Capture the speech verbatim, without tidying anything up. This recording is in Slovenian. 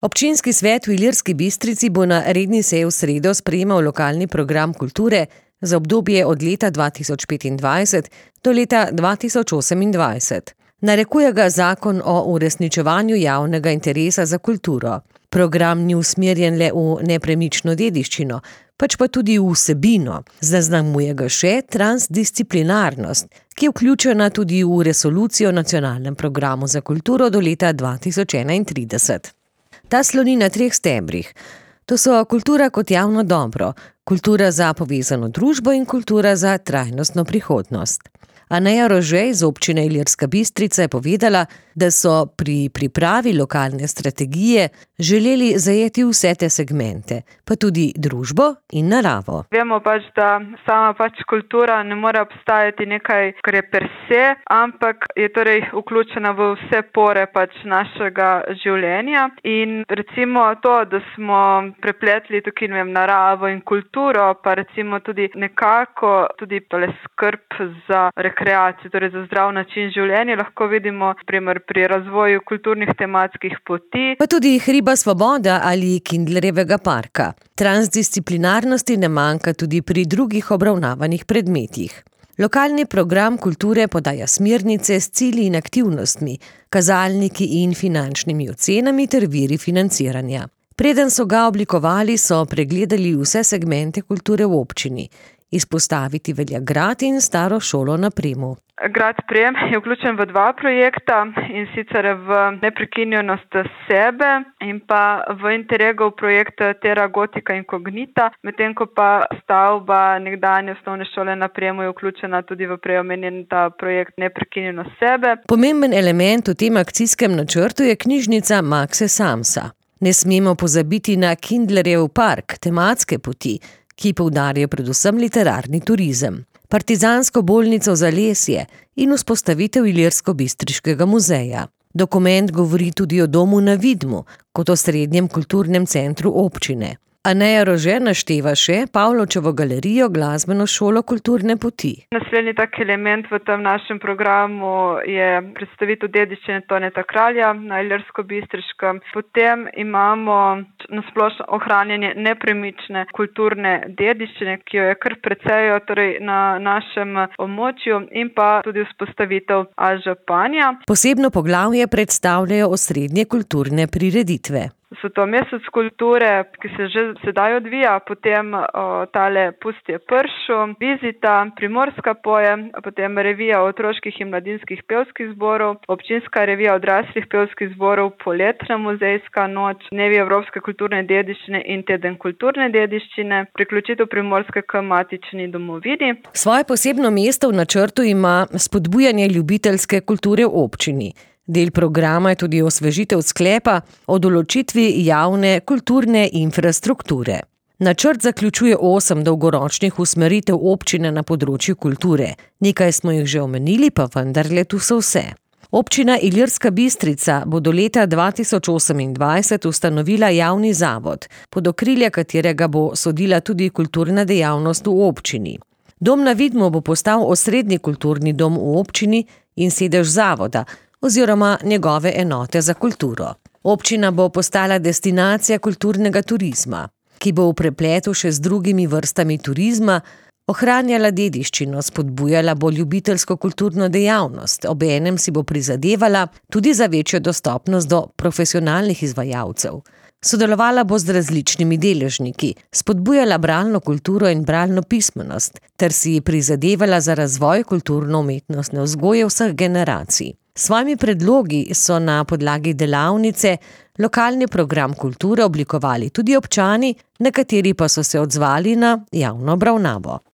Občinski svet v Ilirski Bistrici bo na redni seji v sredo sprejemal lokalni program kulture za obdobje od leta dva tisoč petindvajset do leta dva tisoč osemindvajset. Narekuje ga zakon o uresničevanju javnega interesa za kulturo. Program ni usmerjen le v nepremično dediščino, pač pa tudi v vsebino. Zaznamuje ga še transdisciplinarnost, ki je vključena tudi v resolucijo o nacionalnem programu za kulturo do leta dva tisoč enaintrideset. Ta sloni na treh stebrih. To so kultura kot javno dobro, kultura za povezano družbo in kultura za trajnostno prihodnost. Aneja Rože iz občine Ilirska Bistrica je povedala, da so pri pripravi lokalne strategije želeli zajeti vse te segmente, pa tudi družbo in naravo. Vemo pač, da sama pač kultura ne more obstajati nekaj, kar je per se, ampak je torej vključena v vse pore pač našega življenja. In recimo to, da smo prepletli tukaj, ne vem, naravo in kulturo, pa recimo tudi nekako tudi tole skrb za rekreacijo, torej za zdrav način življenja, lahko vidimo primer pri razvoju kulturnih tematskih poti. Pa tudi Hriba Svoboda ali Kindlerjevega parka. Transdisciplinarnosti ne manjka tudi pri drugih obravnavanih predmetih. Lokalni program kulture podaja smernice s cilji in aktivnostmi, kazalniki in finančnimi ocenami ter viri financiranja. Preden so ga oblikovali, so pregledali vse segmente kulture v občini. Izpostaviti velja grad in staro šolo na Premu. Grad Prem je vključen v dva projekta, in sicer v neprekinjenost sebe in pa v Interregov projekt Terra Gotica Incognita, medtem ko pa stavba nekdanje osnovne šole na Premu je vključena tudi v prej omenjen ta projekt Neprekinjenost sebe. Pomemben element v tem akcijskem načrtu je knjižnica Makse Samsa. Ne smemo pozabiti na Kindlerjev park, tematske poti, ki poudarjajo predvsem literarni turizem, partizansko bolnico Zalesje in vzpostavitev Ilirsko-Bistriškega muzeja. Dokument govori tudi o domu na Vidmu, kot osrednjem kulturnem centru občine. Aneja Rože našteva še Pavločevo galerijo, glasbeno šolo kulturne poti. Naslednji tak element v tem našem programu je predstavitev dediščine Toneta Kralja na Ilirsko-Bistriškem. Potem imamo nasplošno ohranjanje nepremične kulturne dediščine, ki jo je kar precej torej na našem območju, in pa tudi vzpostavitev županja. Posebno poglavje predstavljajo osrednje kulturne prireditve. So to mesec kulture, ki se že sedaj odvija, potem o, tale Pustje pršu, Vizita, Primorska poje, potem revija otroških in mladinskih pevskih zborov, občinska revija odraslih pevskih zborov, poletna muzejska noč, dnevi evropske kulturne dediščine in teden kulturne dediščine, priključitev Primorske k matični domovini. Svoje posebno mesto v načrtu ima spodbujanje ljubiteljske kulture v občini. Del programa je tudi osvežitev sklepa o določitvi javne kulturne infrastrukture. Načrt zaključuje osem dolgoročnih usmeritev občine na področju kulture. Nekaj smo jih že omenili, pa vendarle tu so vse. Občina Ilirska Bistrica bo do leta dva tisoč osemindvajset ustanovila javni zavod, pod okrilje katerega bo sodila tudi kulturna dejavnost v občini. Dom na Vidmu bo postal osrednji kulturni dom v občini in sedež zavoda, oziroma njegove enote za kulturo. Občina bo postala destinacija kulturnega turizma, ki bo v prepletu še z drugimi vrstami turizma ohranjala dediščino, spodbujala bo ljubiteljsko kulturno dejavnost, obenem si bo prizadevala tudi za večjo dostopnost do profesionalnih izvajalcev. Sodelovala bo z različnimi deležniki, spodbujala bralno kulturo in bralno pismenost, ter si prizadevala za razvoj kulturno-umetnostne vzgoje vseh generacij. S svojimi predlogi so na podlagi delavnice lokalni program kulture oblikovali tudi občani, nekateri pa so se odzvali na javno obravnavo.